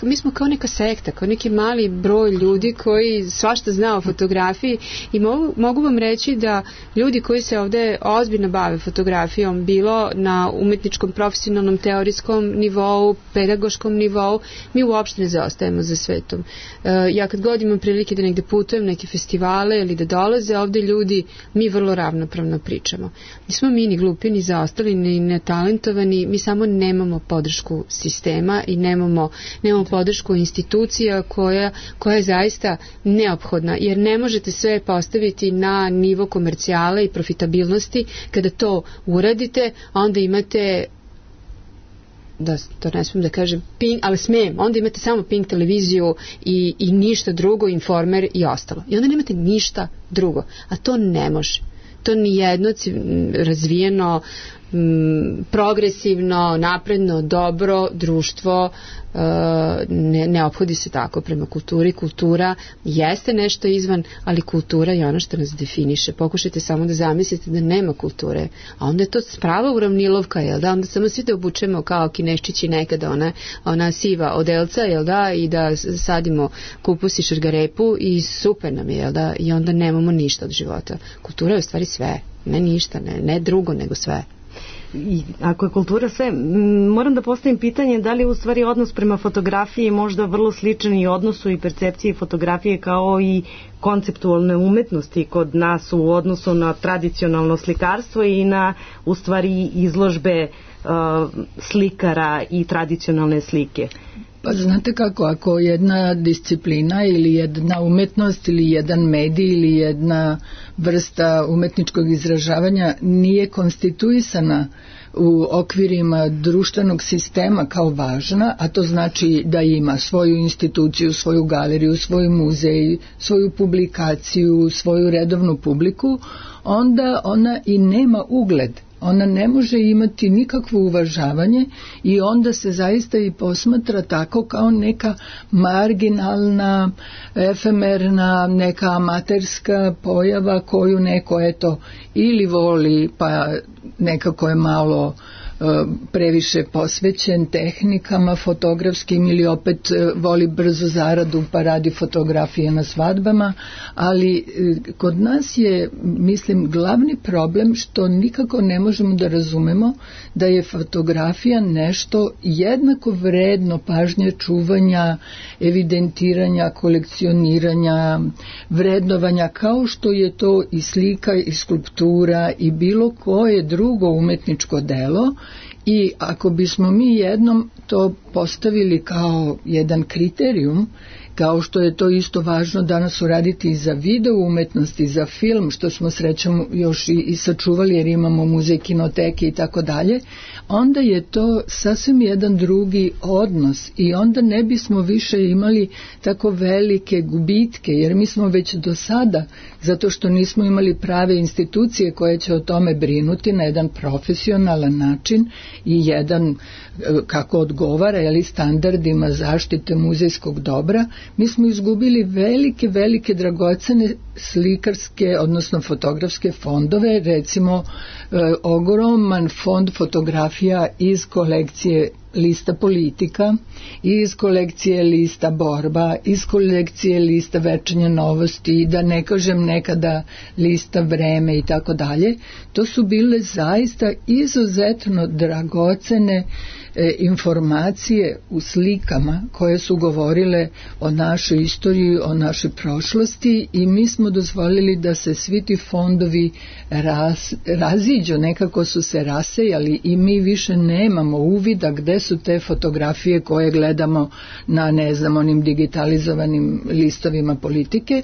mi smo kao neka sekta, kao neki mali broj ljudi koji svašta zna o fotografiji i mogu vam reći da ljudi koji se ovdje ozbiljno bave fotografijom, bilo na umetničkom, profesionalnom, teorijskom nivou, pedagoškom nivou, mi uopšte ne zaostajemo za svetom. Ja kad god imam prilike da negde putujem, neke festivale ili da dolaze ovdje ljudi, mi vrlo ravnopravno pričamo. Nismo mi ni glupi, ni zaostali, ni netalentovani, mi samo nemamo podršku sistema i nemamo podršku institucija koja je zaista neophodna, jer ne možete sve postaviti na nivo komercijale i profitabilnosti. Kada to uradite, onda imate, da to ne smijem da kažem, ali smijem, onda imate samo Pink televiziju i ništa drugo, Informer i ostalo. I onda nemate ništa drugo, a to ne može. To nijedno razvijeno, progresivno, napredno, dobro društvo ne ophodi se tako prema kulturi. Kultura jeste nešto izvan, ali kultura je ono što nas definiše. Pokušajte samo da zamislite da nema kulture, a onda je to prava uravnilovka, jel da? Onda samo svi da obučemo kao Kineščići nekada ona siva odelca, jel da? I da sadimo kupus i šargarepu i super nam je, jel da? I onda nemamo ništa od života. Kultura je u stvari sve, ne ništa, ne drugo, nego sve. I ako je kultura sve, moram da postavim pitanje da li je u stvari odnos prema fotografiji možda vrlo sličan i odnosu i percepciji fotografije kao i konceptualne umetnosti kod nas u odnosu na tradicionalno slikarstvo i na u stvari izložbe slikara i tradicionalne slike. Pa znate kako, ako jedna disciplina ili jedna umetnost ili jedan medij ili jedna vrsta umetničkog izražavanja nije konstituisana u okvirima društvenog sistema kao važna, a to znači da ima svoju instituciju, svoju galeriju, svoj muzej, svoju publikaciju, svoju redovnu publiku, onda ona i nema ugled. Ona ne može imati nikakvo uvažavanje i onda se zaista i posmatra tako kao neka marginalna, efemerna, neka amaterska pojava koju neko eto ili voli pa nekako je malo previše posvećen tehnikama fotografskim ili opet voli brzo zaradu pa radi fotografije na svadbama, ali kod nas je, mislim, glavni problem što nikako ne možemo da razumemo da je fotografija nešto jednako vredno pažnje, čuvanja, evidentiranja, kolekcioniranja, vrednovanja, kao što je to i slika i skulptura i bilo koje drugo umetničko delo. I ako bismo mi jednom to postavili kao jedan kriterijum, kao što je to isto važno danas uraditi i za video umetnost i za film, što smo srećom još i sačuvali jer imamo muzej, kinoteke i tako dalje, onda je to sasvim jedan drugi odnos i onda ne bismo više imali tako velike gubitke, jer mi smo već do sada, zato što nismo imali prave institucije koje će o tome brinuti na jedan profesionalan način i jedan kako odgovara standardima zaštite muzejskog dobra, mi smo izgubili velike dragocene slikarske, odnosno fotografske fondove, recimo ogroman fond fotografija iz kolekcije lista politika, iz kolekcije lista borba, iz kolekcije lista večernje novosti, da ne kažem nekada lista vreme i tako dalje. To su bile zaista izuzetno dragocene informacije u slikama koje su govorile o našoj istoriji, o našoj prošlosti i mi smo dozvolili da se svi ti fondovi raziđu, nekako su se rasejali i mi više nemamo uvida gde su te fotografije koje gledamo na, ne znam, onim digitalizovanim listovima politike,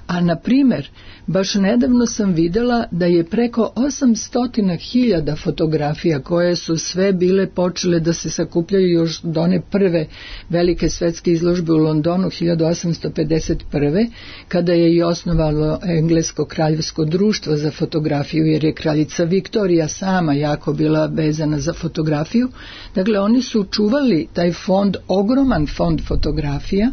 a na primer, baš nedavno sam videla da je preko 800.000 fotografija koje su sve bile počele da se sakupljaju još do one prve velike svetske izložbe u Londonu 1851. kada je i osnovalo Englesko kraljevsko društvo za fotografiju, jer je kraljica Viktorija sama jako bila vezana za fotografiju. Dakle, oni su čuvali taj fond, ogroman fond fotografija.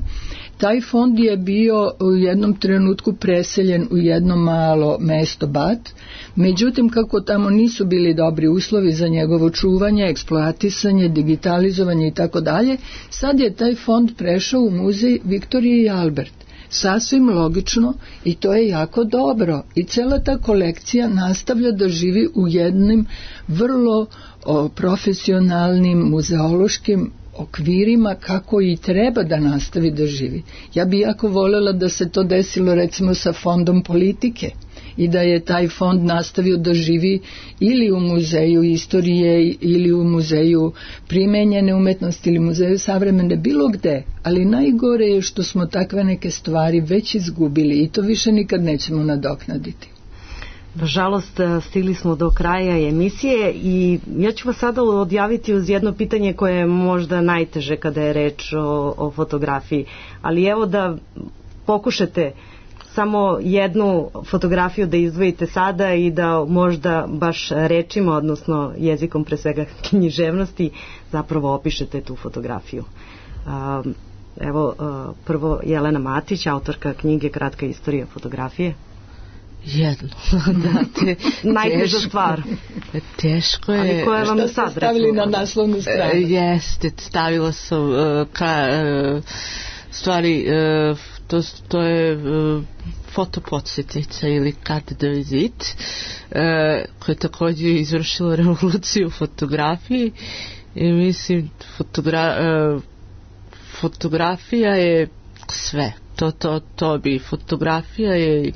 Taj fond je bio u jednom trenutku preseljen u jedno malo mesto Bath, međutim kako tamo nisu bili dobri uslovi za njegovo čuvanje, eksploatisanje, digitalizovanje i tako dalje, sad je taj fond prešao u muzej Viktorije i Albert. Sasvim logično i to je jako dobro i cela ta kolekcija nastavlja da živi u jednim vrlo profesionalnim muzeološkim okvirima kako i treba da nastavi da živi. Ja bi jako voljela da se to desilo recimo sa fondom politike i da je taj fond nastavio da živi ili u muzeju istorije ili u muzeju primenjene umetnosti ili muzeju savremene, bilo gde, ali najgore je što smo takve neke stvari već izgubili i to više nikad nećemo nadoknaditi. Nažalost, stigli smo do kraja emisije i ja ću vas sada odjaviti uz jedno pitanje koje je možda najteže kada je reč o fotografiji, ali evo da pokušate samo jednu fotografiju da izdvojite sada i da možda baš rečima, odnosno jezikom pre svega književnosti, zapravo opišete tu fotografiju. Evo, prvo Jelena Matić, autorka knjige Kratka istorija fotografije. Jedno. Najteža stvar. Teško je. Ali koje vam sad ste stavili na naslovnu stranu? Jeste, stavila sam stvari, to je fotopodsjetnica ili carte de visite, koja je također izvršila revoluciju u fotografiji i mislim fotografija je sve. To bi fotografija je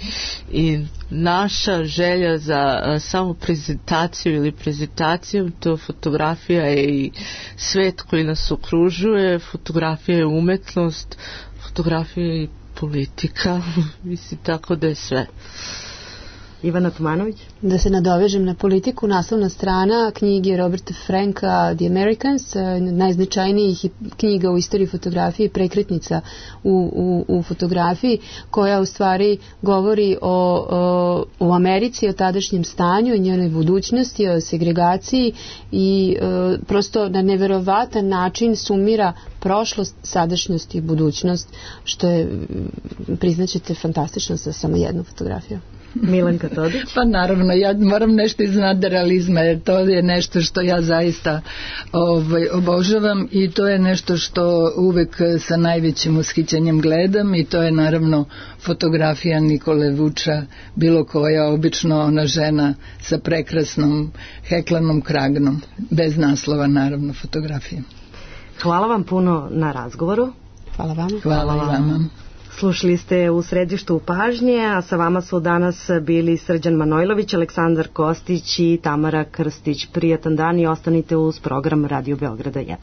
i naša želja za samo prezentaciju ili prezentacijom, to fotografija je i svet koji nas okružuje, fotografija je umetnost, fotografija je i politika, mislim tako da je sve. Ivana Tomanović. Da se nadovežem na politiku, naslovna strana knjige Roberta Franka The Americans, najznačajnijih knjiga u istoriji fotografije, prekretnica u fotografiji, koja u stvari govori o Americi, o tadašnjem stanju, o njenoj budućnosti, o segregaciji i prosto na neverovatan način sumira prošlost, sadašnjost i budućnost, što je, priznaćete, fantastično za samo jednu fotografiju. Milanka Todić. Pa naravno, ja moram nešto iz nadrealizma, jer to je nešto što ja zaista obožavam i to je nešto što uvek sa najvećim ushićenjem gledam i to je naravno fotografija Nikole Vuča, bilo koja, obično ona žena sa prekrasnom heklanom kragnom, bez naslova naravno fotografija. Hvala vam puno na razgovoru. Hvala vam. Hvala i vama. Slušali ste U središtu pažnje, a sa vama su danas bili Srđan Manojlović, Aleksandar Kostić i Tamara Krstić. Prijatan dan i ostanite uz program Radio Beograda 1.